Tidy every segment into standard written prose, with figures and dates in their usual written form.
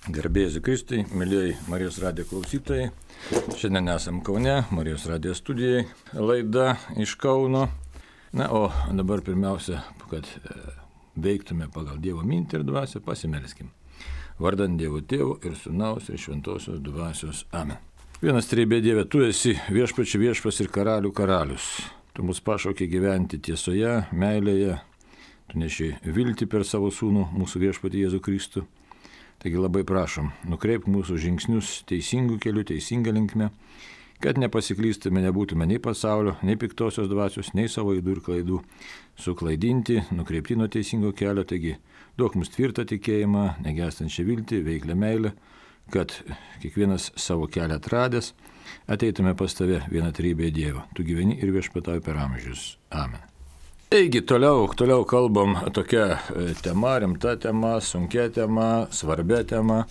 Garbėjai Kristui, mėlyjei Marijos radijo klausytojai. Šiandien esam Kaune, Marijos radijo studijai, laida iš Kauno. Na, o dabar pirmiausia, kad veiktume pagal Dievo mintį ir dvasią, pasimelskim. Vardant Dievo Tėvo ir Sūnaus ir Šventosios dvasios. Amen. Vienas trejybė Dieve, tu esi viešpačių viešpas ir karalių karalius. Tu mus pašaukė gyventi tiesoje, meilėje. Tu neši viltį per savo sūnų, mūsų viešpatį Jėzų Kristų. Taigi labai prašom, nukreipk mūsų žingsnius teisingų kelių, teisingą linkmę, kad nepasiklystume, nebūtume nei pasaulio, nei piktosios dvasios, nei savo ydų ir klaidų suklaidinti, nukreipti nuo teisingo kelio. Taigi duok mums tvirtą tikėjimą, negęstančią viltį, veiklę meilę, kad kiekvienas savo kelią atradęs ateitume pas tave vieną trejybę Dievo. Tu gyveni ir viešpatauji per amžius. Amen. Taigi, toliau kalbam tokia tema, rimta tema, sunkia tema, svarbia tema,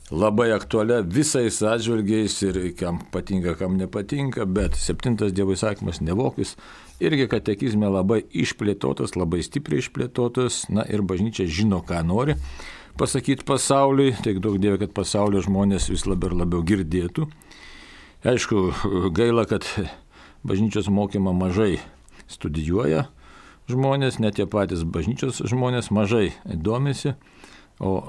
labai aktualia visais atžvilgiais ir kam patinka, kam nepatinka, bet 7 Dievo įsakymas nevokis irgi katekizme labai išplėtotas, labai stipriai išplėtotas, na ir bažnyčia žino, ką nori pasakyti pasauliui, tik daug Dieve, kad pasaulio žmonės vis labiau ir labiau girdėtų. Aišku, gaila, kad bažnyčios mokymą mažai studijuoja žmonės, net tie patys bažnyčios žmonės mažai domisi, o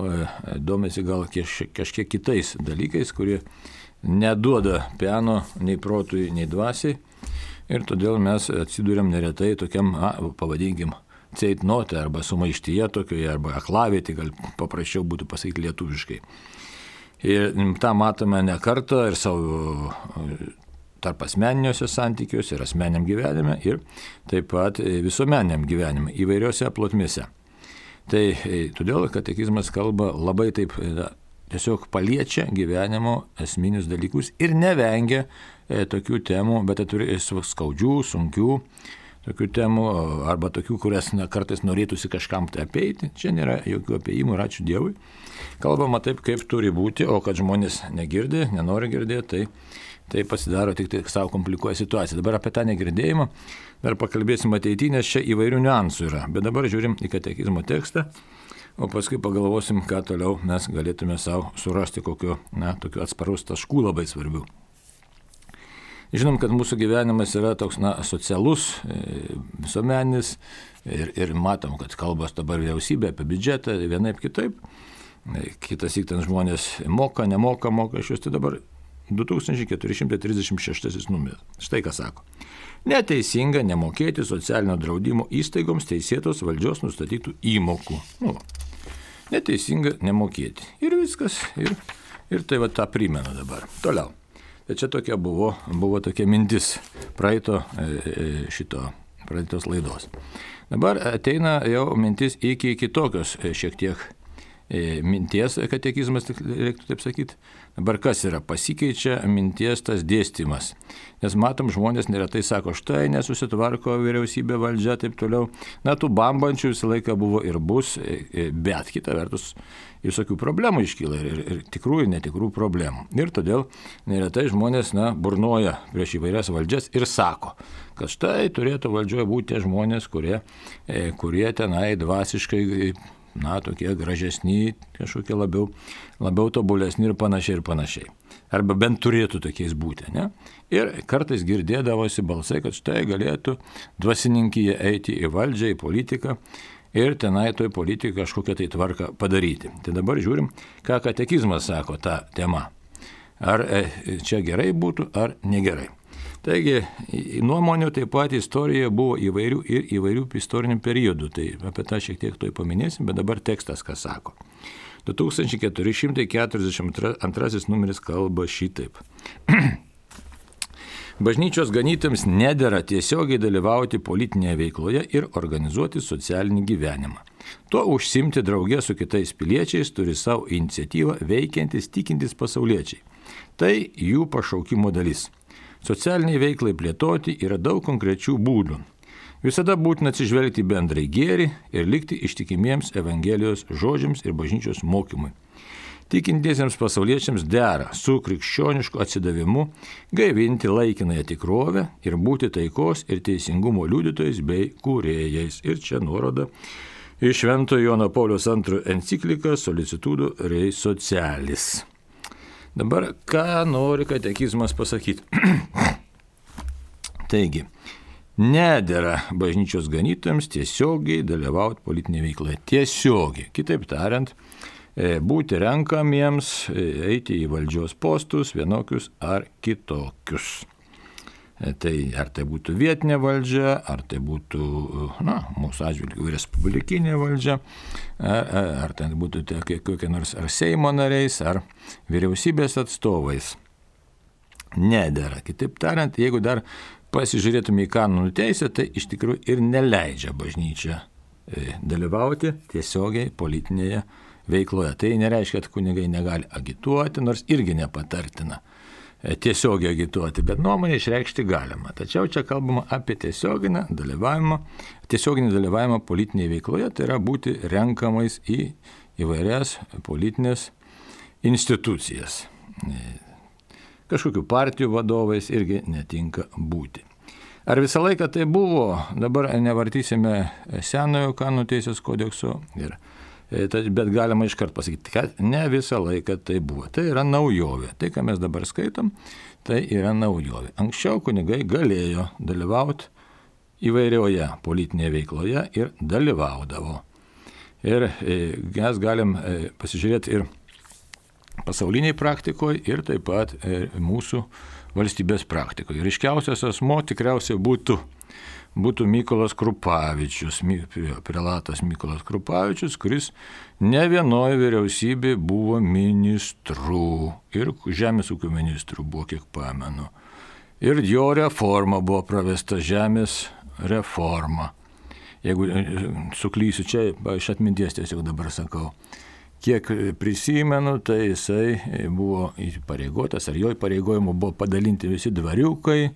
domisi gal kažkiek kitais dalykais, kurie neduoda peno nei protui, nei dvasiai. Ir todėl mes atsidūrėm neretai tokiam, pavadinkim, ceitnote arba sumaištyje tokioje, arba aklavietė, gal paprasčiau būtų pasakyti lietuviškai. Ir tą matome ne kartą ir savo tarp asmeniniuose santykiuose ir asmeniniam gyvenime ir taip pat visuomeniniam gyvenime įvairiose plotmėse. Tai todėl katekizmas kalba labai taip tiesiog paliečia gyvenimo esminius dalykus ir nevengia tokių temų, bet turi skaudžių, sunkių tokių temų arba tokių, kurias kartais norėtųsi kažkam tai apeiti. Čia nėra jokių apeimų ir ačiū Dievui. Kalbama taip, kaip turi būti, o kad žmonės negirdi, nenori girdėti, tai pasidaro tik tai savo komplikuoja situaciją. Dabar apie tą negirdėjimą dar pakalbėsim ateityje, nes čia įvairių niuansų yra. Bet dabar žiūrim į katekizmo tekstą, o paskui pagalvosim, ką toliau mes galėtume savo surasti kokiu tokiu atsparus taškų labai svarbių. Žinom, kad mūsų gyvenimas yra toks socialus, visuomeninis ir matom, kad kalbos dabar vyriausybė apie biudžetą vienaip kitaip. Kitas ten žmonės moka, nemoka mokesčius, tai dabar 2436 numeris. Štai ką sako. Neteisinga nemokėti socialinio draudimo įstaigoms teisėtos valdžios nustatytų įmokų. Neteisinga nemokėti. Ir viskas. Ir tai va tą primena dabar. Toliau. Tai čia tokia buvo tokia mintis praeitos laidos. Dabar ateina jau mintis iki kitokios šiek tiek minties katekizmas, reiktų taip sakyti. Dabar kas yra? Pasikeičia minties tas dėstymas. Nes matom, žmonės neretai sako, štai nesusitvarko vyriausybė, valdžia, taip toliau. Tų bambančių visą laiką buvo ir bus, bet kita vertus visokių problemų iškyla ir tikrų ir netikrų problemų. Ir todėl neretai žmonės burnoja prieš įvairias valdžias ir sako, kad štai turėtų valdžioje būti tie žmonės, kurie tenai dvasiškai tokie gražesni, kažkokie labiau tobulesni ir panašiai. Arba bent turėtų tokiais būti, ne? Ir kartais girdėdavosi balsai, kad štai galėtų dvasininkyje eiti į valdžią, į politiką ir tenai toj politikai kažkokią tai tvarką padaryti. Tai dabar žiūrim, ką katekizmas sako tą temą. Ar čia gerai būtų, ar negerai. Taigi, nuomonių taip pat istorijoje buvo įvairių istorinių periodų, tai apie tą šiek tiek toj paminėsim, bet dabar tekstas ką sako. 2442 numeris kalba šitaip. Bažnyčios ganytojams nedera tiesiogiai dalyvauti politinėje veikloje ir organizuoti socialinį gyvenimą. Tuo užsimti draugė su kitais piliečiais turi savo iniciatyvą veikiantis tikintis pasauliečiai. Tai jų pašaukimo dalis. Socialiniai veiklai plėtoti yra daug konkrečių būdų. Visada būtina atsižvelgti bendrai gėrį ir likti ištikimiems Evangelijos žodžiams ir bažnyčios mokymui. Tikintiesiems pasauliečiams dera su krikščionišku atsidavimu gaivinti laikinąją tikrovę ir būti taikos ir teisingumo liudytojais bei kūrėjais. Ir čia nuoroda iš Šventojo Jono Pauliaus II enciklika Solicitudo Rei Socialis. Dabar ką nori katekizmas pasakyti? Taigi, nedera bažnyčios ganytojams tiesiogiai dalyvauti politinėje veikloje. Tiesiogiai. Kitaip tariant, būti renkamiems, eiti į valdžios postus vienokius ar kitokius. Tai ar tai būtų vietinė valdžia, ar tai būtų, mūsų atžvilgiu respublikinė valdžia, ar tai būtų kokie nors ar Seimo nariais, ar vyriausybės atstovais. Nedera. Kitaip tariant, jeigu dar pasižiūrėtume į kanonų teisę, tai iš tikrųjų ir neleidžia bažnyčia dalyvauti tiesiogiai politinėje veikloje. Tai nereiškia, kad kunigai negali agituoti, nors irgi nepatartina tiesiogiai agituoti, bet nuomonę išreikšti galima. Tačiau čia kalbama apie tiesioginį dalyvavimą politinėje veikloje, tai yra būti renkamais į įvairias politinės institucijas. Kažkokių partijų vadovais irgi netinka būti. Ar visą laiką tai buvo? Dabar nevartysime senojo kanonų teisės kodekso, bet galima iškart pasakyti, kad ne visą laiką tai buvo. Tai yra naujovė. Tai, ką mes dabar skaitom, tai yra naujovė. Anksčiau kunigai galėjo dalyvauti įvairioje politinėje veikloje ir dalyvaudavo. Ir mes galim pasižiūrėti ir pasauliniai praktikoje ir taip pat mūsų valstybės praktikoje. Ryškiausias asmo tikriausiai būtų Mykolas Krupavičius, prelatas Mykolas Krupavičius, kuris ne vienoje vyriausybėje buvo ministrų ir žemės ūkio ministrų buvo, kiek pamenu. Ir jo reforma buvo pravesta, žemės reforma. Jeigu suklysiu čia, iš atminties tiesiog dabar sakau. Kiek prisimenu, tai jisai buvo įpareigotas, ar jo įpareigojimu buvo padalinti visi dvariukai,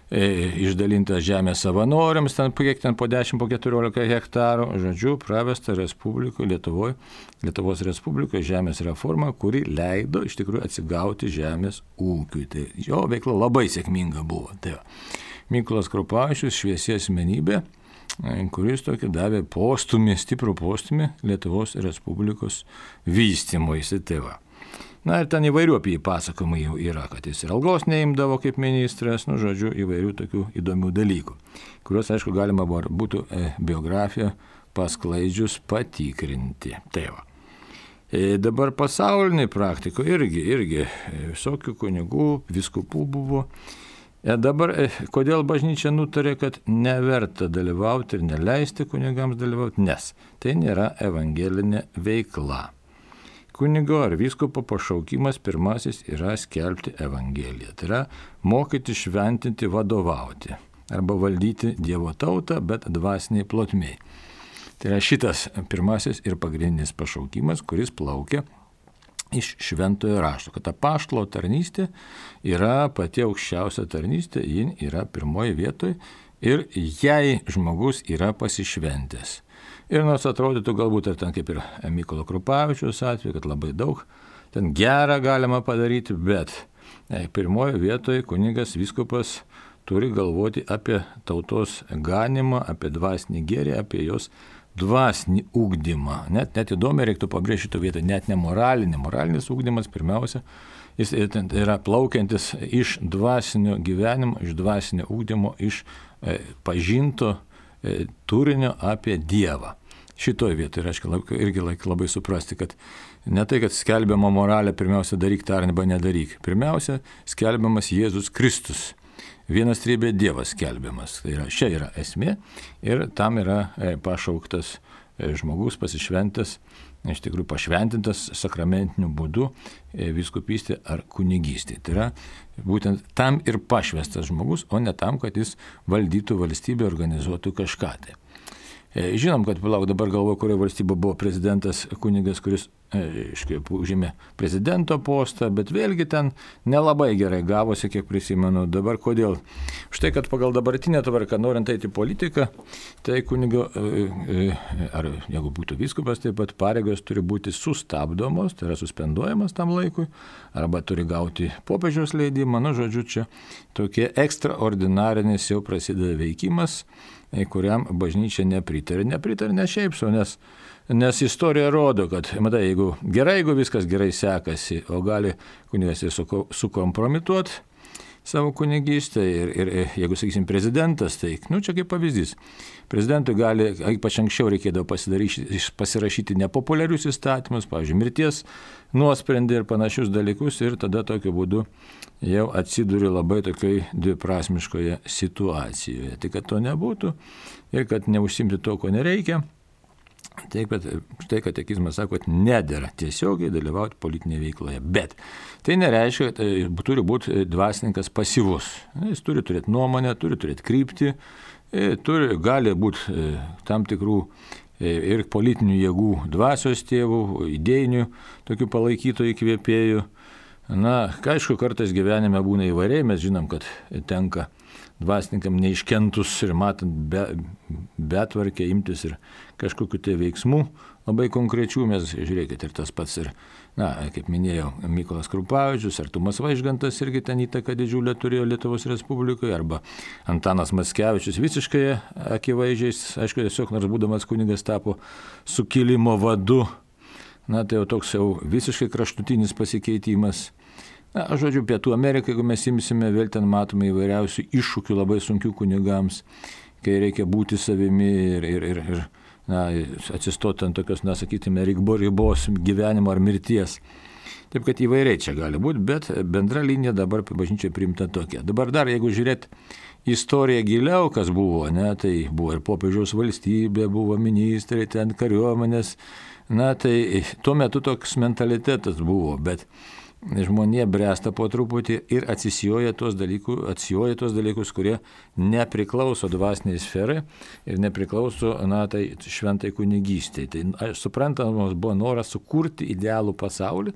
išdalintas žemės savanoriams, kiek ten po 10, po 14 hektarų, žodžiu, pravesta Lietuvos Respublikoje žemės reforma, kuri leido iš tikrųjų atsigauti žemės ūkiui. Tai jo veikla labai sėkminga buvo. Tai Mykolas Krupavičius, šviesi asmenybė, kuris tokį davė stiprų postūmį Lietuvos Respublikos vystymuisi. Tai va. Na ir ten įvairių apie jį pasakojimų yra, kad jis ir algos neimdavo kaip ministras, žodžiu, įvairių tokių įdomių dalykų, kuriuos, aišku, galima būtų biografiją pasklaidžius patikrinti. Tai va. Dabar pasauliniai praktikoje irgi visokių kunigų, vyskupų buvo. Dabar kodėl bažnyčia nutarė, kad neverta dalyvauti ir neleisti kunigams dalyvauti, nes tai nėra evangelinė veikla. Kunigo ar vyskupo pašaukimas pirmasis yra skelbti evangeliją. Tai yra mokyti, šventinti, vadovauti arba valdyti Dievo tautą, bet dvasiniai plotmei. Tai yra šitas pirmasis ir pagrindinis pašaukimas, kuris plaukia iš šventojo rašto, kad apaštalo tarnystė yra pati aukščiausia tarnystė, ji yra pirmoji vietoje ir jei žmogus yra pasišventęs. Ir nors atrodytų galbūt ir ten kaip ir Mykolo Krupavičiaus atveju, kad labai daug ten gerą galima padaryti, bet pirmoje vietoje kunigas vyskupas turi galvoti apie tautos ganimą, apie dvasinį gėrį, apie jos dvasinį ugdymą. Net įdomiai reiktų pabrėžti šitą vietą, net ne moralinį. Moralinis ugdymas pirmiausia, jis yra plaukiantis iš dvasinio gyvenimo, iš dvasinio ugdymo, iš pažinto turinio apie Dievą. Šitoje vietoje reiškia irgi labai suprasti, kad ne tai, kad skelbiama moralė, pirmiausia daryk tą arba nedaryk. Pirmiausia, skelbiamas Jėzus Kristus. Vienas trybė Dievas skelbiamas. Tai čia yra esmė ir tam yra pašauktas žmogus pasišventęs, iš tikrųjų pašventintas sakramentiniu būdu vyskupystė ar kunigystė. Tai yra būtent tam ir pašvestas žmogus, o ne tam, kad jis valdytų valstybę, organizuotų kažką. Tai. Žinom, kad dabar galvoju, kurioje valstybė buvo prezidentas kunigas, kuris užėmė prezidento postą, bet vėlgi ten nelabai gerai gavosi, kiek prisimenu. Dabar kodėl? Štai, kad pagal dabartinę tvarką, norint eiti į politiką, tai kunigo, ar jeigu būtų vyskupas, taip pat pareigos turi būti sustabdomos, tai yra suspenduojamas tam laikui, arba turi gauti popiežiaus leidimą. Žodžiu, čia tokie ekstraordinarinis jau prasideda veikimas, kuriam bažnyčia nepritarė. Nepritarė ne šiaip sau, nes istorija rodo, kad, matai, jeigu viskas gerai sekasi, o gali kunigas ir sukompromituoti savo kunigystę ir jeigu, sakysim, prezidentas, tai, čia kaip pavyzdys, prezidentui gali, ypač anksčiau reikėdavo pasirašyti nepopuliarius įstatymus, pavyzdžiui, mirties nuosprendį ir panašius dalykus ir tada tokiu būdu jau atsiduri labai tokioj dviprasmiškoje situacijoje. Tai kad to nebūtų ir kad neužsimti to, ko nereikia, taip, kad štai katekizmas sako, kad nedera tiesiogiai dalyvauti politinėje veikloje. Bet tai nereiškia, kad turi būti dvasininkas pasyvus. Jis turi turėti nuomonę, turi turėti kryptį, gali būti tam tikrų ir politinių jėgų dvasios tėvų, idėjinių tokių palaikytojų įkvėpėjų. Aišku, kartais gyvenime būna įvairiai, mes žinom, kad tenka dvasininkam neiškentus ir matant betvarkę imtis ir kažkokiu tai veiksmų labai konkrečių, mes žiūrėkit ir tas pats ir, kaip minėjau, Mykolas Krupavičius, Artumas Vaižgantas irgi ten įtaką didžiulę turėjo Lietuvos Respublikoje, arba Antanas Mackevičius visiškai akivaizdžiais, aišku, tiesiog nors būdamas kunigas tapo sukilimo vadu, tai jau toks jau visiškai kraštutinis pasikeitimas. Žodžiu, Pietų Amerikai, jeigu mes imsime, vėl ten matome įvairiausių iššūkių labai sunkių kunigams, kai reikia būti savimi ir atsistoti ant tokios, sakytume, ribos gyvenimo ar mirties. Taip, kad įvairiai čia gali būti, bet bendra linija dabar bažnyčioje priimta tokia. Dabar dar, jeigu žiūrėt istoriją giliau, kas buvo, tai buvo ir popiežiaus valstybė, buvo ministrai, ten kariuomenės, tai tuo metu toks mentalitetas buvo, bet žmonė bręsta po truputį ir atsijoja tuos dalykus, kurie nepriklauso dvasiniai sferai ir nepriklauso tai šventai kunigystei. Tai suprantamas buvo noras sukurti idealų pasaulį,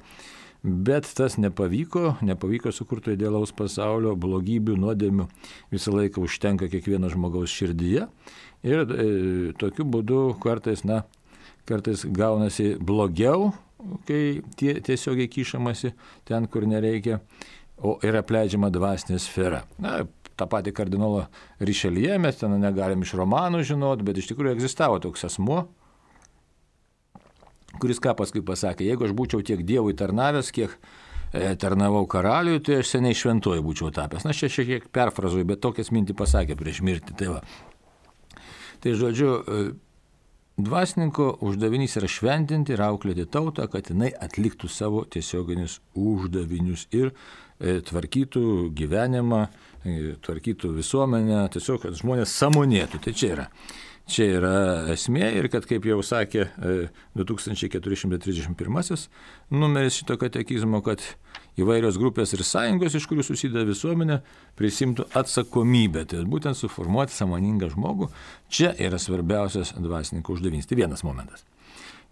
bet tas nepavyko sukurti idealaus pasaulio, blogybių, nuodėmių visą laiką užtenka kiekvieno žmogaus širdyje ir tokiu būdu kartais gaunasi blogiau, kai tiesiogiai kišamasi ten, kur nereikia, o ir apleidžiama dvasinė sfera. tą patį kardinolą Rišelyje mes ten negalim iš romanų žinot, bet iš tikrųjų egzistavo toks asmuo, kuris ką paskui pasakė, jeigu aš būčiau tiek Dievui tarnavęs, kiek tarnavau karaliui, tai aš seniai šventuoju būčiau tapęs. Na, šiek tiek perfrazuoju, bet tokias mintį pasakė prieš mirtį. Tai žodžiu, dvasininko uždavinys yra šventinti ir auklėti tautą, kad jinai atliktų savo tiesioginius uždavinius ir tvarkytų gyvenimą, tvarkytų visuomenę, tiesiog, kad žmonės sąmonėtų. Tai čia yra esmė ir kad, kaip jau sakė 2431 numeris šito katekizmo, kad įvairios grupės ir sąjungos, iš kurių susideda visuomenė, prisimtų atsakomybę. Tai būtent suformuoti sąmoningą žmogų, čia yra svarbiausias dvasininko uždavinys. Tai vienas momentas.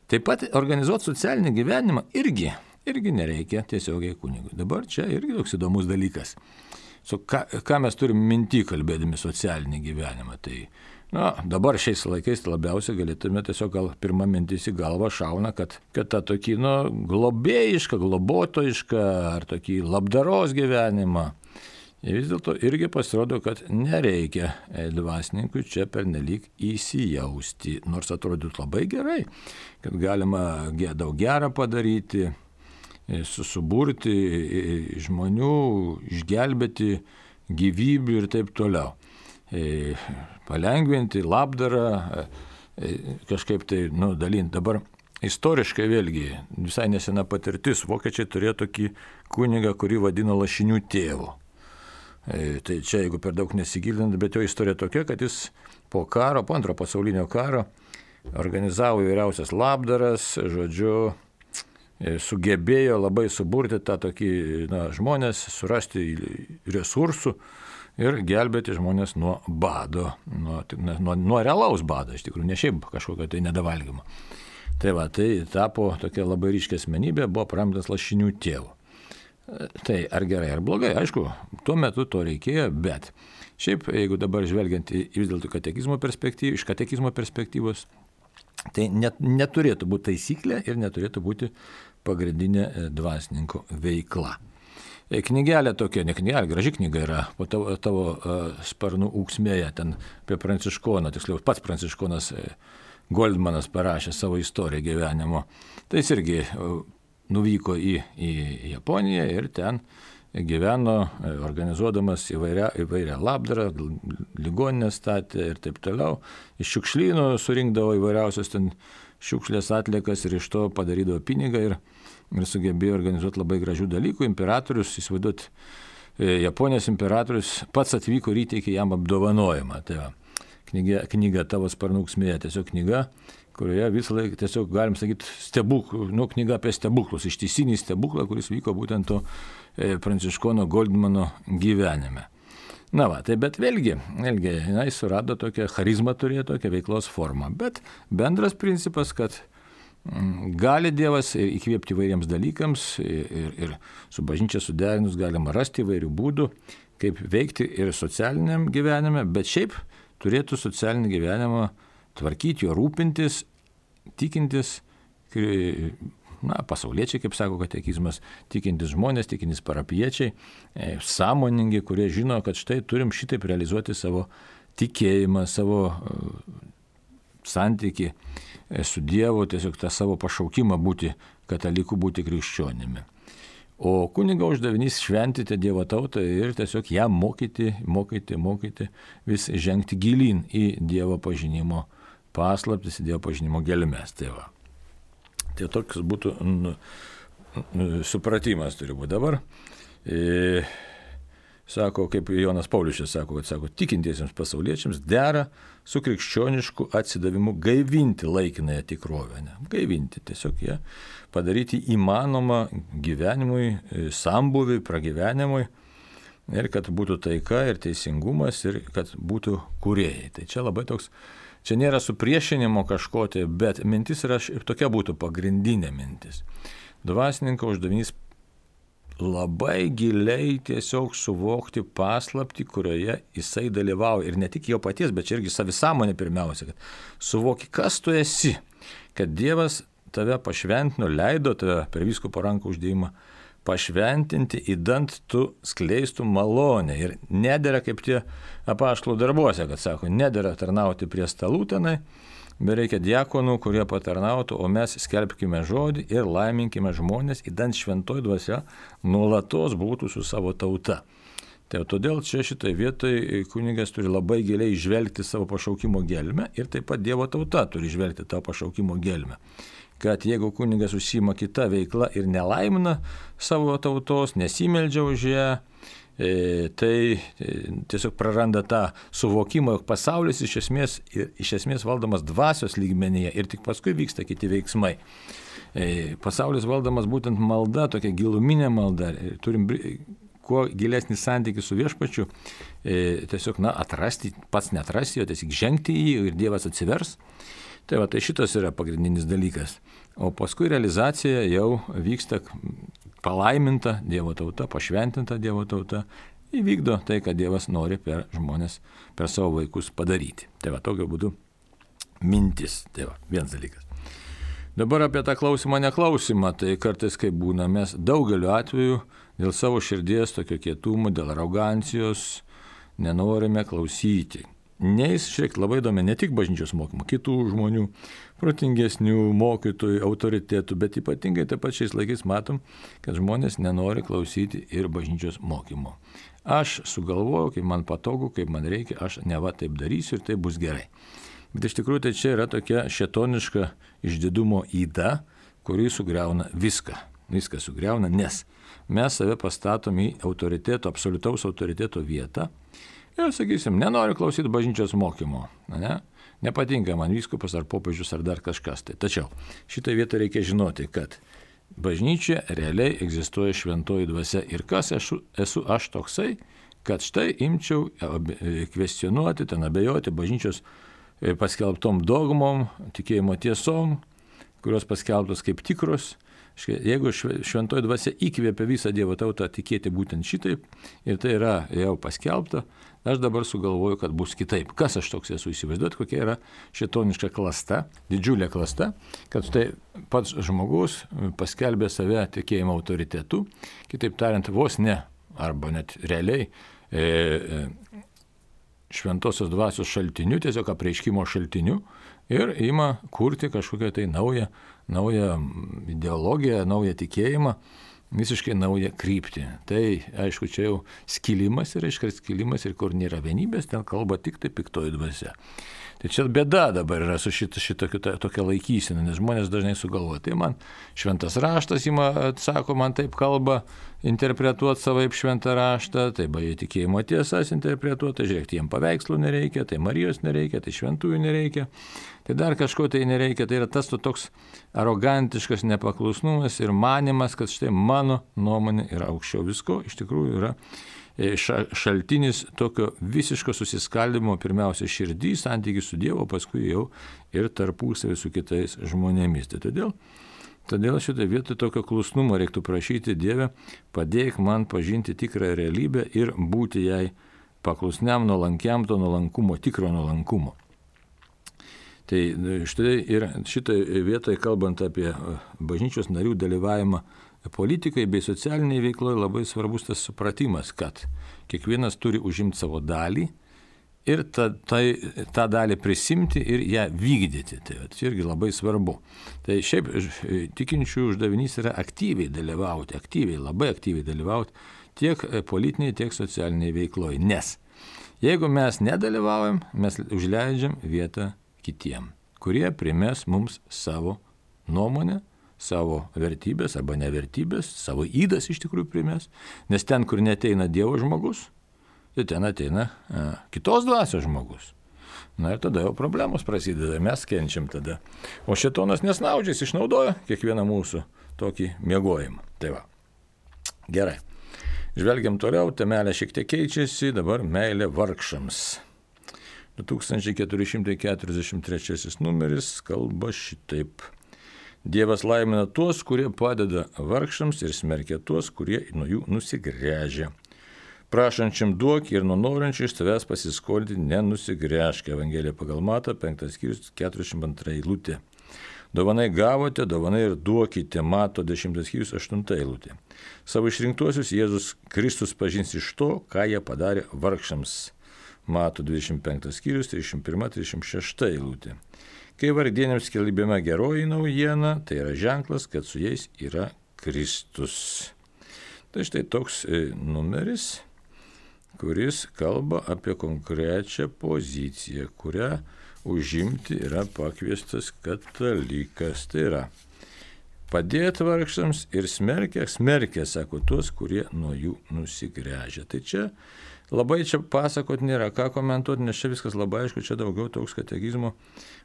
Taip pat organizuoti socialinį gyvenimą irgi nereikia tiesiogiai kunigui. Dabar čia irgi toks įdomus dalykas. Ką mes turim minty kalbėdami socialinį gyvenimą? Tai dabar šiais laikais labiausiai galėtume tiesiog gal pirmą mintis į galvą šauna, kad tą tokį globėjišką, globotojišką ar tokį labdaros gyvenimą. Ir vis dėlto irgi pasirodo, kad nereikia dvasininkui čia pernelyg įsijausti, nors atrodytų labai gerai, kad galima daug gerą padaryti, suburti žmonių, išgelbėti gyvybių ir taip toliau. Palengvinti labdarą, kažkaip tai dalinti. Dabar istoriškai vėlgi visai nesena patirtis. Vokiečiai turėjo tokį kunigą, kurį vadino lašinių tėvu. Tai čia, jeigu per daug nesigilinant, bet jo istorija tokia, kad jis po antro pasaulinio karo organizavo įvairiausias labdaras, žodžiu, sugebėjo labai suburti tą tokį žmonės, surasti resursų ir gelbėti žmonės nuo bado, nuo realaus bado, iš tikrųjų, ne šiaip kažkokio tai nedavalgymo. Tai tapo tokia labai ryškia asmenybė, buvo paramdytas lašinių tėvu. Tai ar gerai, ar blogai, aišku, tuo metu to reikėjo, bet šiaip, jeigu dabar žvelgiant vis dėlto iš katekizmo perspektyvos, tai neturėtų būti taisyklė ir neturėtų būti pagrindinė dvasininko veikla. Knygelė tokia, ne knygelė, graži knyga yra, po tavo sparnų ūksmėje, ten apie Pranciškoną, tiksliau pats Pranciškonas Goldmanas parašė savo istoriją gyvenimo. Tai jis irgi nuvyko į Japoniją ir ten gyveno, organizuodamas įvairią labdarą, ligoninę statė ir taip toliau. Iš šiukšlynų surinkdavo įvairiausios ten šiukšlės atliekas ir iš to padarydavo pinigą ir sugebėjo organizuoti labai gražių dalykų. Imperatorius, įsivaizduot, Japonijos imperatorius pats atvyko ir įteikė jam apdovanojimą. Tai va, knyga tavo sparnų ūksmėje, tiesiog knyga, kurioje visą laiką tiesiog, galim sakyti, knyga apie stebuklus, ištisinį stebuklą, kuris vyko būtent to Pranciškono Goldmano gyvenime. Na va, tai bet vėlgi, jis surado tokią charizmą, turėjo tokią veiklos formą, bet bendras principas, kad gali Dievas įkvėpti įvairiems dalykams ir su bažnyčia suderinus galima rasti įvairių būdų, kaip veikti ir socialiniam gyvenime, bet šiaip turėtų socialinį gyvenimą tvarkyti, jo rūpintis, tikintis, pasauliečiai, kaip sako katekizmas, tikintis žmonės, tikintis parapiečiai, sąmoningi, kurie žino, kad štai turim šitaip realizuoti savo tikėjimą, savo santykį su Dievu, tiesiog tą savo pašaukimą būti kataliku, būti krikščionimi. O kunigo uždavinys šventyti Dievo tautą ir tiesiog ją mokyti, vis žengti gilyn į Dievo pažinimo paslaptis, į Dievo pažinimo gelmes. Tai toks būtų supratimas turi būti dabar. Sako, kaip Jonas Paulius sako, tikintiesiems pasauliečiams dera su krikščionišku atsidavimu gaivinti laikinąją tikrovę. Gaivinti, tiesiog ją padaryti įmanomą gyvenimui, sambūviui, pragyvenimui ir kad būtų taika ir teisingumas ir kad būtų kūrėjai. Tai čia labai toks, čia nėra supriešinimo kažko, bet mintis yra tokia būtų pagrindinė mintis. Dvasininko uždavinys labai giliai tiesiog suvokti paslaptį, kurioje jisai dalyvauja. Ir ne tik jo paties, bet irgi savisąmonė pirmiausia, kad suvoki, kas tu esi, kad Dievas tave pašventino, leido tave per vyskupo rankų uždėjimą pašventinti, įdant tu skleistų malonę. Ir nedera kaip tie apaštalų darbuose, kad sako, nedera tarnauti prie stalų tenai, bet reikia diakonų, kurie patarnautų, o mes skelbkime žodį ir laiminkime žmonės, įdant šventoji dvasia nuolatos būtų su savo tauta. Tai todėl čia šitoje vietoje kunigas turi labai giliai žvelgti savo pašaukimo gelmę ir taip pat Dievo tauta turi žvelgti tą pašaukimo gelmę. Kad jeigu kunigas užsiima kita veikla ir nelaimina savo tautos, nesimeldžia už ją, tai tiesiog praranda tą suvokimą, jog pasaulis iš esmės valdomas dvasios lygmenyje ir tik paskui vyksta kiti veiksmai. Pasaulis valdomas būtent malda, tokia giluminė malda. Turim kuo gilesnį santykį su viešpačiu, tiesiog atrasti, pats neatrasti jo, tiesiog žengti į jį ir Dievas atsivers. Tai šitas yra pagrindinis dalykas. O paskui realizacija jau vyksta palaiminta Dievo tauta, pašventinta Dievo tauta, įvykdo tai, ką Dievas nori per žmonės, per savo vaikus padaryti. Tai tokiu būdu mintis. Tai vienas dalykas. Dabar apie tą klausimą, neklausimą, tai kartais kaip būna, mes daugeliu atveju dėl savo širdies tokio kietumo, dėl arogancijos nenorime klausyti. Nes šiek labai įdomi ne tik bažnyčios mokymo, kitų žmonių, protingesnių mokytojų, autoritetų, bet ypatingai taip pat šiais laikais matom, kad žmonės nenori klausyti ir bažnyčios mokymo. Aš sugalvoju, kaip man patogu, kaip man reikia, aš neva taip darysiu ir tai bus gerai. Bet iš tikrųjų tai čia yra tokia šėtoniška išdidumo yda, kuri sugriauna viską. Viską sugriauna, nes mes save pastatom į autoriteto, absoliutaus autoriteto vietą. Ir sakysim, nenoriu klausyti bažnyčios mokymo, nepatinka man vyskupas ar popiežius ar dar kažkas. Tačiau šitą vietą reikia žinoti, kad bažnyčia realiai egzistuoja šventoji dvasia. Ir kas esu aš toksai, kad štai imčiau kvestionuoti, ten abejoti bažnyčios paskelbtom dogmom, tikėjimo tiesom, kurios paskelbtos kaip tikros. Jeigu šventoji dvasia įkvėpia visą Dievo tautą tikėti būtent šitaip, ir tai yra jau paskelbta, aš dabar sugalvoju, kad bus kitaip. Kas aš toks esu, įsivaizduoti, kokia yra šėtoniška klasta, didžiulė klasta, kad tai pats žmogus paskelbė save tikėjimo autoritetu, kitaip tariant, vos ne, arba net realiai, šventosios dvasios šaltiniu, tiesiog apreiškimo šaltiniu, ir ima kurti kažkokią tai naują ideologiją, naują tikėjimą, visiškai naują kryptį. Tai, aišku, čia jau skilimas ir skilimas, ir kur nėra vienybės, ten kalba tik tai piktoji dvasia. Tai čia bėda dabar yra su tokia laikysena, nes žmonės dažnai sugalvoja. Tai man šventas raštas sako, man taip kalba interpretuoti savaip šventą raštą, tai jie tikėjimo tiesas interpretuoti, žiūrėk, jiems paveikslų nereikia, tai Marijos nereikia, tai šventųjų nereikia, tai dar kažko tai nereikia. Tai yra tas toks arogantiškas nepaklusnumas ir manimas, kad štai mano nuomonė yra aukščiau visko, iš tikrųjų yra šaltinis tokio visiško susiskaldimo, pirmiausia širdį, santykį su Dievu, paskui jau ir tarpusavį su kitais žmonėmis. Tai todėl šitą vietą tokio klusnumo reiktų prašyti: Dieve, padėk man pažinti tikrą realybę ir būti jai paklusniam, nuolankiam, to nuolankumo, tikro nuolankumo. Tai štai ir šitoje vietoje, kalbant apie bažnyčios narių dalyvavimą politikai bei socialiniai veikloje, labai svarbus tas supratimas, kad kiekvienas turi užimti savo dalį ir tą dalį prisimti ir ją vykdyti. Tai irgi labai svarbu. Tai šiaip tikinčių uždavinys yra aktyviai dalyvauti, labai aktyviai dalyvauti tiek politiniai, tiek socialiniai veikloje. Nes jeigu mes nedalyvaujam, mes užleidžiam vietą kitiem, kurie primės mums savo nuomonę, savo vertybės arba nevertybės, savo įdas iš tikrųjų primės, nes ten, kur neteina Dievo žmogus, tai ten ateina kitos dvasios žmogus. Na ir tada jau problemos prasideda, mes kenčiam tada. O šėtonas nesnaudžiais išnaudoja kiekvieną mūsų tokį miegojimą. Tai va. Gerai. Žvelgiam toliau, temelė šiek tiek keičiasi, dabar meilė vargšams. 2443 numeris kalba šitaip. Dievas laimina tuos, kurie padeda vargšams ir smerkia tuos, kurie nuo jų nusigręžia. Prašančiam duok ir nuo norinčių iš tavęs pasiskolinti nenusigręžk. Evangelija pagal Matą, 5 skyrius, 42 eilutė. Dovanai gavote, dovanai ir duokite. Mato 10 skyrius, 8 eilutė. Savo išrinktuosius Jėzus Kristus pažins iš to, ką jie padarė vargšams. Mato 25 skyrius, 31-36 eilutė. Kai vargdieniams skelbiama geroji naujiena, tai yra ženklas, kad su jais yra Kristus. Tai štai toks numeris, kuris kalba apie konkrečią poziciją, kurią užimti yra pakviestas katalikas. Tai yra padėti vargšams ir smerkia, sako, tuos, kurie nuo jų nusigręžia. Tai čia labai čia pasakot nėra ką komentuoti, nes čia viskas labai aišku, čia daugiau toks katekizmo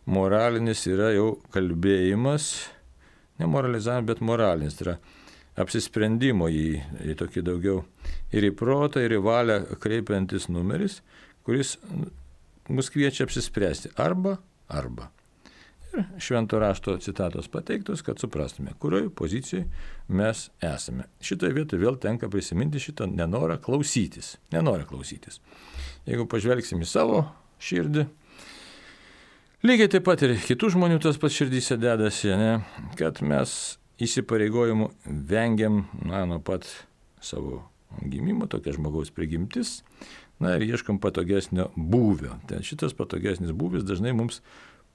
moralinis yra jau kalbėjimas, ne moralizavimas, bet moralinis, tai yra apsisprendimo į tokį daugiau ir į protą, ir į valią kreipiantis numeris, kuris mus kviečia apsispręsti arba. Ir švento rašto citatos pateiktos, kad suprastume, kurioje pozicijoje mes esame. Šitoje vietoje vėl tenka prisiminti šitą nenorą klausytis. Jeigu pažvelgsim į savo širdį, lygiai taip pat ir kitų žmonių tas pats širdyse dedasi, ne? Kad mes įsipareigojimų vengiam nuo pat savo gimimo, tokia žmogaus prigimtis, ir ieškom patogesnio būvio. Tai šitas patogesnis būvis dažnai mums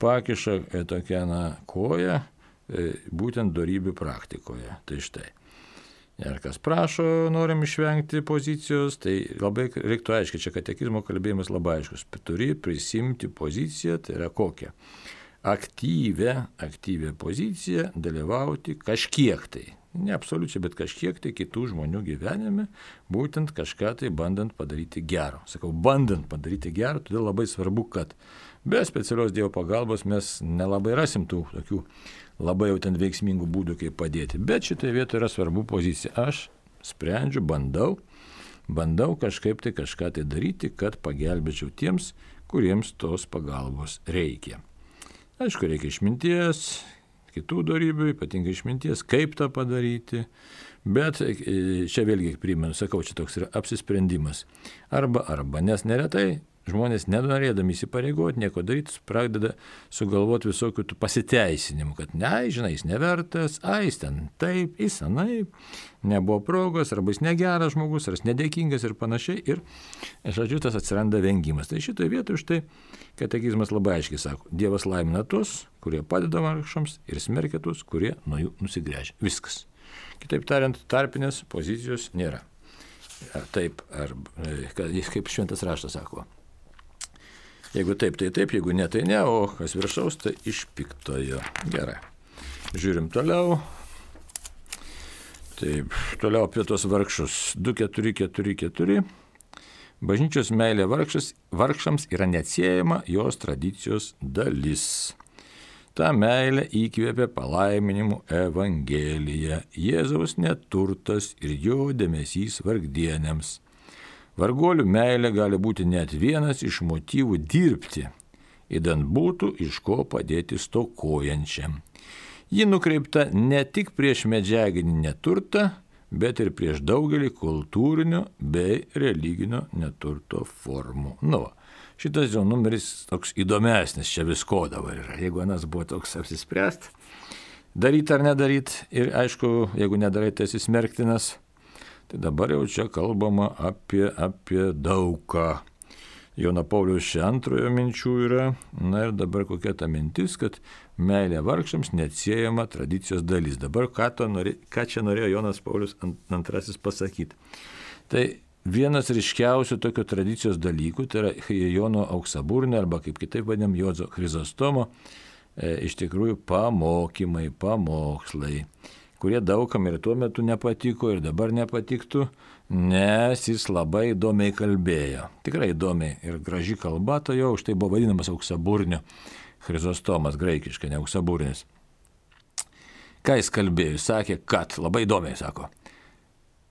pakiša tokią koją būtent dorybių praktikoje. Tai štai. Ir kas prašo, norim išvengti pozicijos, tai labai reiktų aiškiai, čia katekizmo kalbėjimas labai aiškus. Turi prisimti poziciją, tai yra kokią? Aktyvę poziciją, dalyvauti kažkiek tai. Ne absoliučiai, bet kažkiek tai kitų žmonių gyvenime, būtent kažką tai bandant padaryti gero. Sakau, bandant padaryti gero, todėl labai svarbu, kad be specialios Dievo pagalbos mes nelabai rasim tų tokių labai jau ten veiksmingų būdų, kaip padėti. Bet šitoje vietoje yra svarbu pozicija. Aš sprendžiu, bandau kažkaip tai kažką tai daryti, kad pagelbėčiau tiems, kuriems tos pagalbos reikia. Aišku, reikia išminties, kitų dorybių, ypatingai išminties, kaip tą padaryti. Bet čia vėlgi primenu, sakau, čia toks yra apsisprendimas. Arba, nes neretai žmonės nenorėdami įsipareigoti, nieko daryti, pradeda sugalvoti visokių tų pasiteisinimų, kad žinai, jis nevertas, jis ten taip, jis anaip, nebuvo progos, arba jis negeras žmogus, ar jis nedėkingas ir panašiai. Ir, žodžiu, tas atsiranda vengimas. Tai šitoje vietoje štai katekizmas labai aiškiai sako, Dievas laimina tuos, kurie padeda vargšams, ir smerkia tuos, kurie nuo jų nusigręžia. Viskas. Kitaip tariant, tarpinės pozicijos nėra. Taip, kaip šventas raštas sako. Jeigu taip, tai taip, jeigu ne, tai ne, o kas viršaus, tai iš piktojo. Gerai. Žiūrim toliau. Taip, toliau apie tos vargšus. 2.4.4.4. Bažnyčios meilė vargšams yra neatsiejama jos tradicijos dalis. Ta meilė įkvėpė palaiminimų Evangeliją. Jėzaus neturtas ir jo dėmesys vargdienėms. Varguolių meilė gali būti net vienas iš motyvų dirbti, idant būtų iš ko padėti stokojančiam. Ji nukreipta ne tik prieš medžiaginį neturtą, bet ir prieš daugelį kultūrinio bei religinio neturto formų. Šitas jau numeris toks įdomesnis, čia visko dabar yra. Jeigu anas buvo toks apsispręst, daryti ar nedaryti, ir aišku, jeigu nedarai, tai esi smerktinas, tai dabar jau čia kalbama apie daugą. Jono Pauliaus II minčių yra, ir dabar kokia ta mintis, kad meilė vargšams neatsiejama tradicijos dalis. Dabar ką čia norėjo Jonas Paulius II pasakyti? Tai vienas ryškiausių tokio tradicijos dalykų, tai yra Jono Auksaburnio, arba kaip kitaip vadinam, Juozo Chrizostomo, iš tikrųjų pamokslai, kurie daugam ir tuo metu nepatiko ir dabar nepatiktų, nes jis labai įdomiai kalbėjo. Tikrai įdomiai ir graži kalba, to jo už tai buvo vadinamas Auksaburnio Chrizostomas, graikiškai, ne Auksaburnis. Ką jis kalbėjo? Jis sakė, kad, labai įdomiai sako,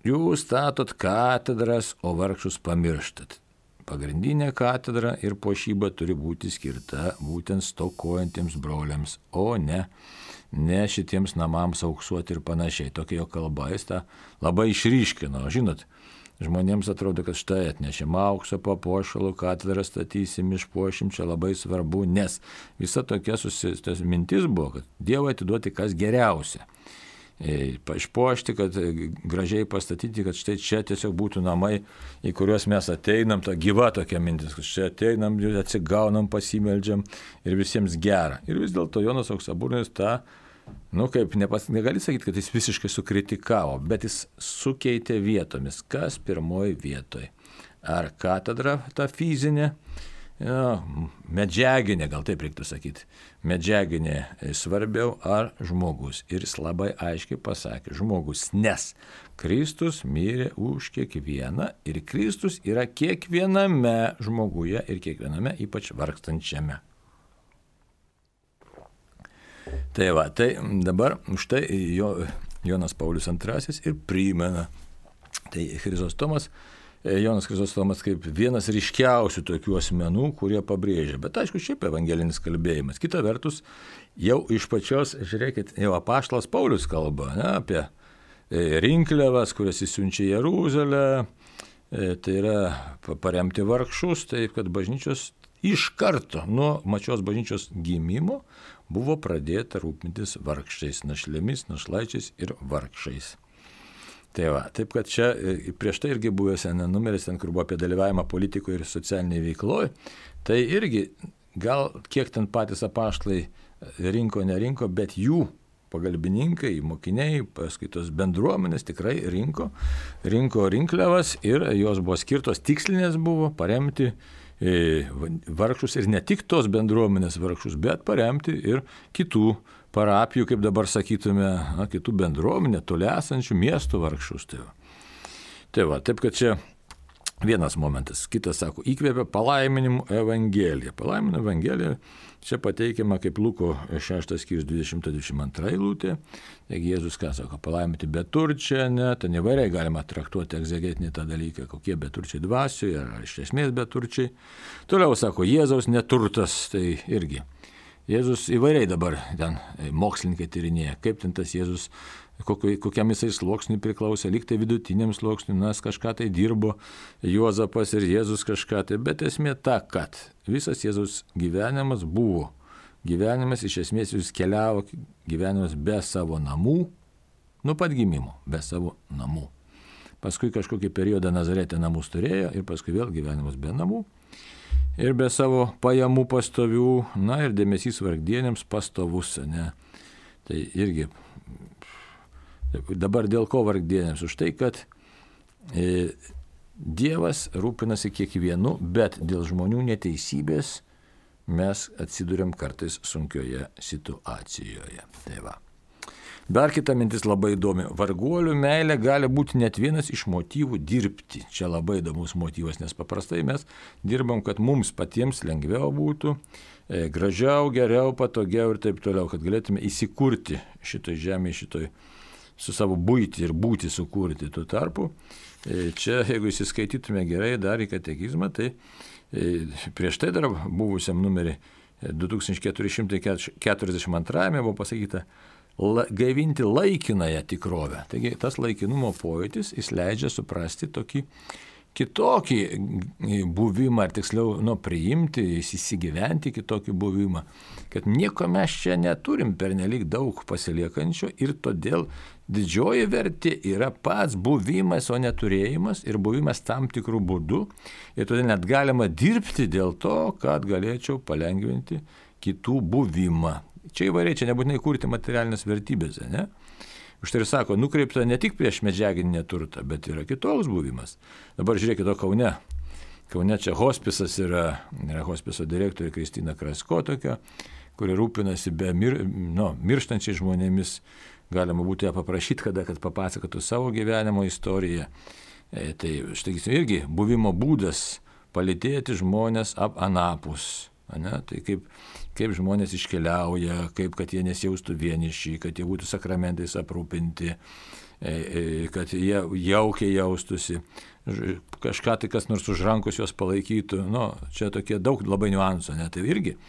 jūs statot katedras, o vargšus pamirštat. Pagrindinė katedra ir puošyba turi būti skirta būtent stokojantiems broliams, o ne šitiems namams auksuoti ir panašiai. Tokia jo kalba, jis tą labai išryškino. Žinot, žmonėms atrodo, kad štai atnešim aukso papuošalų, katedrą statysim, išpuošim, čia labai svarbu, nes visa tokia mintis buvo, kad Dievui atiduoti kas geriausia. Išpuošti, kad gražiai pastatyti, kad štai čia tiesiog būtų namai, į kuriuos mes ateinam, ta gyva tokia mintis, kad čia ateinam, atsigaunam, pasimeldžiam ir visiems gera. Ir vis dėlto Jonas Auksaburnis tą, negali sakyti, kad jis visiškai sukritikavo, bet jis sukeitė vietomis. Kas pirmoji vietoj? Ar katedra ta fizinė? Medžiaginė, gal taip reiktų sakyti, medžiaginė svarbiau ar žmogus. Ir jis labai aiškiai pasakė, žmogus, nes Kristus mirė už kiekvieną ir Kristus yra kiekviename žmoguje ir kiekviename ypač vargstančiame. Tai dabar už tai Jonas Paulius II ir primena. Tai Jonas Chrizostomas kaip vienas ryškiausių tokių asmenų, kurie pabrėžia. Bet aišku, šiaip evangelinis kalbėjimas. Kita vertus, jau iš pačios, žiūrėkit, jau apaštalas Paulius kalba apie rinkliavas, kurias jis siunčia į Jeruzalę, tai yra paremti vargšus, taip kad bažnyčios iš karto nuo pačios bažnyčios gimimo buvo pradėta rūpintis vargšais, našlėmis, našlaičiais ir vargšais. Taip kad čia prieš tai irgi buvęs numeris, kur buvo apie dalyvavimą politikoje ir socialiniai veikloje, tai irgi gal kiek ten patys apaštalai rinko, nerinko, bet jų pagalbininkai, mokiniai, paskaitos bendruomenės tikrai rinko rinkliavas ir jos buvo skirtos, tikslinės buvo paremti vargšus ir ne tik tos bendruomenės vargšus, bet paremti ir kitų parapijų, kaip dabar sakytume, kitų bendruomenė, toli esančių miestų vargšus. Taip kad čia vienas momentas. Kitas sako, įkvėpė palaiminimų Evangeliją. Palaiminimų Evangelija čia pateikiama kaip Luko 6 skyrius 20-22 eilutė. Taigi Jėzus ką sako, palaiminti beturčią, ten įvairiai galima traktuoti egzegetinį tą dalyką, kokie beturčiai dvasioje ar iš esmės beturčiai. Toliau sako, Jėzaus neturtas, tai irgi Jėzus įvairiai dabar ten mokslininkai tyrinėja, kaip ten tas Jėzus, kokiam jisai sluoksniui priklausė, lyg tai vidutiniam sluoksniui, nes kažką tai dirbo Juozapas ir Jėzus kažką tai, bet esmė ta, kad visas Jėzus gyvenimas buvo. Gyvenimas iš esmės jis keliavo, gyvenimas be savo namų, nuo pat gimimo, be savo namų. Paskui kažkokį periodą Nazarete namus turėjo ir paskui vėl gyvenimas be namų. Ir be savo pajamų pastovių, na ir dėmesys vargdienėms pastovus, ne. Tai irgi, dabar dėl ko vargdienėms? Už tai, kad Dievas rūpinasi kiekvienu, bet dėl žmonių neteisybės mes atsiduriam kartais sunkioje situacijoje. Tai va. Dar kita mintis labai įdomi. Varguolių meilė gali būti net vienas iš motyvų dirbti. Čia labai įdomus motyvas, nes paprastai mes dirbam, kad mums patiems lengviau būtų, gražiau, geriau, patogiau ir taip toliau, kad galėtume įsikurti šitoj žemėje, šitoj su savo būti ir būti sukurti. Tuo tarpu, čia, jeigu įsiskaitytume gerai dar į katekizmą, tai prieš tai dar buvusiam numerį 2442 buvo pasakyta, gaivinti laikinąją tikrovę. Taigi tas laikinumo pojūtis, jis leidžia suprasti tokį kitokį buvimą, ar tiksliau, priimti, įsigyventi kitokį buvimą, kad nieko mes čia neturim pernelyg daug pasiliekančio ir todėl didžioji vertė yra pats buvimas, o neturėjimas ir buvimas tam tikrų būdų ir todėl net galima dirbti dėl to, kad galėčiau palengvinti kitų buvimą. Čia įvairiai, čia nebūtinai kurti materialinės vertybės, ne? Už tai ir sako, nukreipta ne tik prieš medžiaginį turtą, bet yra kitoks buvimas. Dabar žiūrėkite, Kaune. Kaune čia hospisas yra hospiso direktorė Kristina Krasko tokia, kuri rūpinasi mirštančiais žmonėmis. Galima būtų ją paprašyti, kad papasakotų savo gyvenimo istoriją. Tai štai irgi buvimo būdas palydėti žmonės anapus. Ne? Tai kaip žmonės iškeliauja, kad jie nesijaustų vieniši, kad jie būtų sakramentais aprūpinti, kad jie jaukiai jaustųsi, kažką tai kas nors už rankos juos palaikytų. Čia tokie daug labai niuansų, ne? Tai irgi,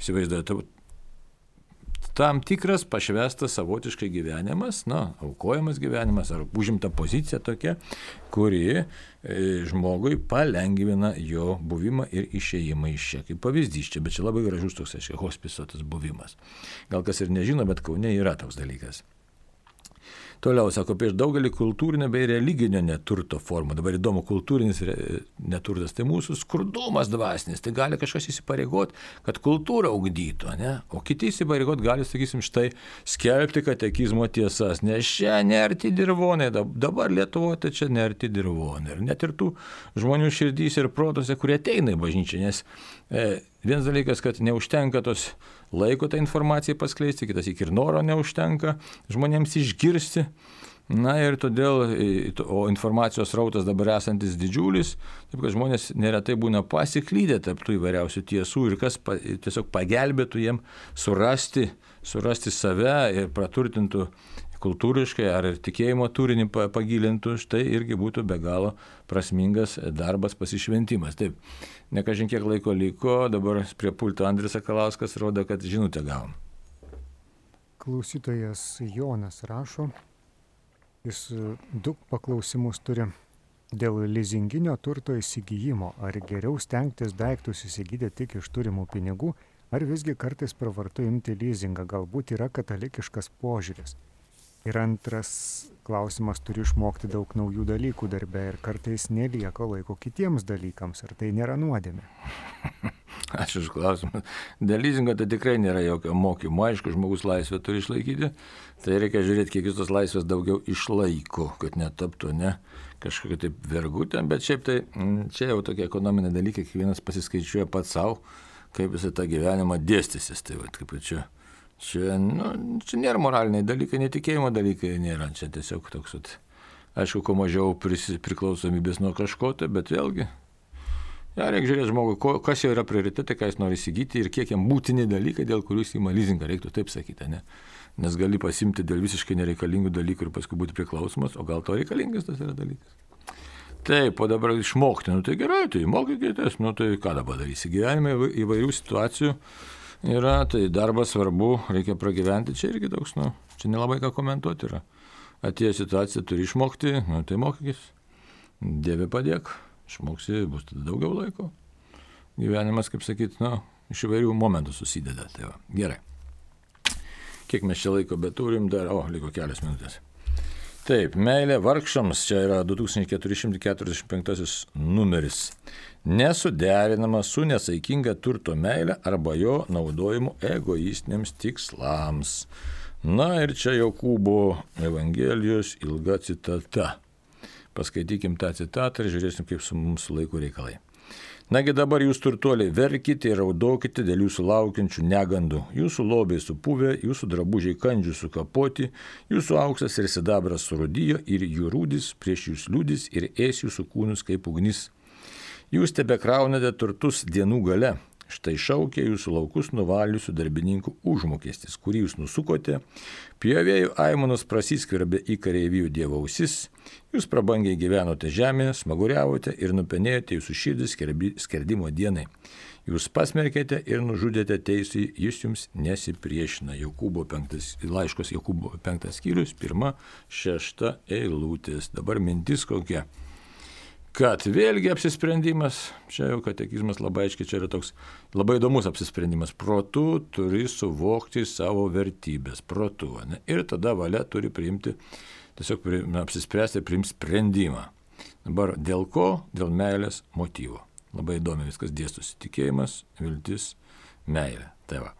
įsivaizduoju, tam tikras pašvestas savotiškai gyvenimas, aukojamas gyvenimas ar užimta pozicija tokia, kuri žmogui palengvina jo buvimą ir išėjimą iš čia. Kaip pavyzdys čia, bet čia labai gražus toks, hospiso tas buvimas. Gal kas ir nežino, bet Kaune yra toks dalykas. Toliau, sako, prieš daugelį kultūrinio bei religinio neturto formų. Dabar įdomu, kultūrinis neturtas, tai mūsų skurdumas dvasinis. Tai gali kažkas įsipareigoti, kad kultūrą ugdytų, ne? O kiti įsipareigoti gali, sakysim, štai skelbti katekizmo tiesas, nes čia nerti dirvonai, dabar Lietuvoje tai čia nerti dirvonai. Ir net ir tų žmonių širdys ir protose, kurie ateina į bažnyčią, nes vienas dalykas, kad neužtenka tos laiko tą informaciją paskleisti, kitas ir noro neužtenka žmonėms išgirsti. Na ir todėl, o informacijos rautas dabar esantis didžiulis, taip kad žmonės neretai būna pasiklydę tarp tų įvairiausių tiesų ir kas tiesiog pagelbėtų jiem surasti save ir praturtintų kultūriškai ar tikėjimo turinį pagilintų, štai irgi būtų be galo prasmingas darbas, pasišventimas. Taip, ne kažin kiek laiko liko, dabar prie pulto Andrius Sakalauskas rodo, kad žinutę gavom. Klausytojas Jonas rašo, jis 2 paklausimus turi. Dėl lizinginio turto įsigijimo, ar geriau stengtis daiktus įsigyti tik iš turimų pinigų, ar visgi kartais pravartu imti lizingą, galbūt yra katalikiškas požiūris. Ir antras klausimas, turi išmokti daug naujų dalykų darbe ir kartais nelieka laiko kitiems dalykams, ar tai nėra nuodėmė? Ačiū už klausimą. Dėl lizingo tai tikrai nėra jokio mokymo. Aišku, žmogus laisvę turi išlaikyti, tai reikia žiūrėti, kiek jis tos laisvės daugiau išlaiko, kad netaptų kažkokia taip vergutė, bet šiaip tai čia jau tokie ekonominiai dalykai, kiekvienas pasiskaičiuoja pats savo, kaip jis tą gyvenimą dėstysis. Tai kaip čia nėra moraliniai dalykai, netikėjimo dalykai nėra. Čia tiesiog toks, aišku, kuo mažiau priklausomybės nuo kažko, tai, bet vėlgi, reikia žiūrėti žmogui, kas jau yra prioritetai, ką jis nori įsigyti ir kiek jam būtini dalykai, dėl kurių jis įma lizingą, reiktų taip sakyti, ne? Nes gali pasimti dėl visiškai nereikalingų dalykų ir paskui būti priklausomas, o gal to reikalingas tas yra dalykas. Taip, o dabar išmokti, tai gerai, tai mokykitės, tai ką dabar darysi? Gyvenime įvairių situacijų yra, tai darbas svarbu, reikia pragyventi, čia irgi toks, čia nelabai ką komentuoti yra. Atėjo situacija, turi išmokti, tai mokykis, Dieve padėk, išmoksi, bus tada daugiau laiko. Gyvenimas, kaip sakyt, iš įvairių momentų susideda. Tai va, gerai. Kiek mes čia laiko beturim dar, liko kelias minutės. Taip, meilė vargšams, čia yra 2445 numeris. Nesuderinama su nesaikinga turto meilė arba jo naudojimu egoistiniams tikslams. Na ir čia Jokūbo Evangelijos ilga citata. Paskaitykim tą citatą ir žiūrėsim, kaip su mūsų laiku reikalai. Nagi dabar jūs turtuoliai verkite ir raudokite dėl jūsų laukiančių negandų. Jūsų lobiai supuvę, jūsų drabužiai kandžių sukapoti, jūsų auksas ir sidabras surūdijo ir jų rūdis prieš jūs liūdis ir ės jūsų kūnus kaip ugnis. Jūs tebekraunate turtus dienų gale. Štai šaukia jūsų laukus nuvaliusių darbininkų užmokestis, kurį jūs nusukote. Pjovėjų aimanos prasiskverbė į kareivijų dievo ausis. Jūs prabangiai gyvenote žemėje, smaguriavote ir nupenėjote jūsų širdis skerdimo dienai. Jūs pasmerkėte ir nužudėte teisui, jis jums nesipriešina. Laiškos Jokūbo 5 skyrius, 1-6 eilutės. Dabar mintis kokia. Kad vėlgi apsisprendimas, čia jau katekizmas labai aiškiai, čia yra toks labai įdomus apsisprendimas. Protu turi suvokti savo vertybės, protu. Ne? Ir tada valia turi priimti, tiesiog apsispręsti ir priimti sprendimą. Dabar dėl ko? Dėl meilės motyvo. Labai įdomi viskas dėstosi. Tikėjimas, viltis, meilė. Tai va.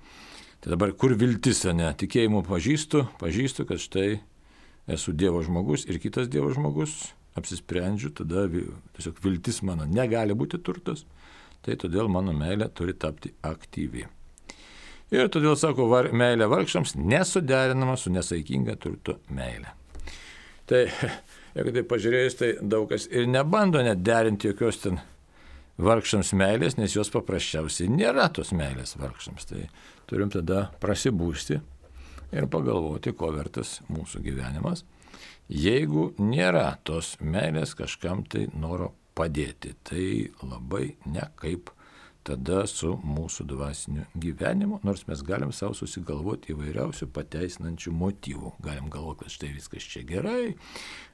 Tai dabar kur viltis, ne? Tikėjimu pažįstu, kad štai esu Dievo žmogus ir kitas Dievo žmogus. Apsisprendžiu, tada tiesiog viltis mano negali būti turtas, tai todėl mano meilė turi tapti aktyvi. Ir todėl, sako, meilė vargšams nesuderinama su nesaikinga turto meilė. Tai, jeigu tai pažiūrėjus, tai daug kas ir nebando net derinti jokios ten vargšams meilės, nes jos paprasčiausiai nėra tos meilės vargšams. Tai turim tada prasibūsti ir pagalvoti, ko vertas mūsų gyvenimas. Jeigu nėra tos meilės kažkam tai noro padėti, tai labai nekaip tada su mūsų dvasiniu gyvenimu, nors mes galim savo susigalvoti įvairiausių pateisinančių motyvų. Galim galvoti, kad štai viskas čia gerai,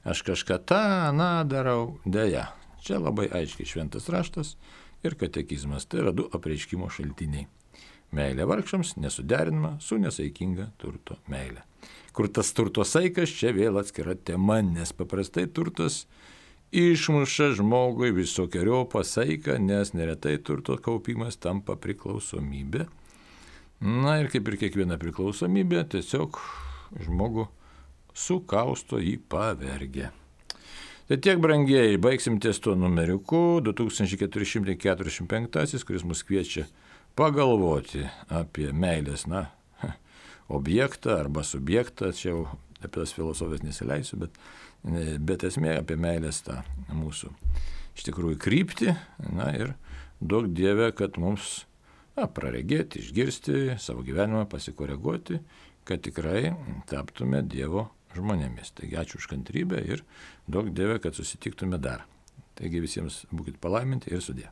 aš kažką darau, deja. Čia labai aiškiai šventas raštas ir katekizmas, tai yra 2 apreiškimo šaltiniai. Meilė vargšams nesuderinama su nesaikinga turto meilė. Kur tas turto saikas, čia vėl atskira tema, nes paprastai turtas išmuša žmogui visokiojopą saiką, nes neretai turto kaupimas tampa priklausomybė. Na ir kaip ir kiekviena priklausomybė, tiesiog žmogų sukausto jį pavergia. Tai tiek, brangieji, baigsim ties tuo numeriuku 2445, kuris mus kviečia pagalvoti apie meilės, objektą arba subjektą, čia jau apie tas filosofijas nesileisiu, bet esmė apie meilės tą mūsų iš tikrųjų kryptį, ir duok Dieve, kad mums praregėti, išgirsti, savo gyvenimą pasikoreguoti, kad tikrai taptume Dievo žmonėmis. Taigi ačiū už kantrybę ir duok Dieve, kad susitiktume dar. Taigi visiems būkit palaiminti ir sudie.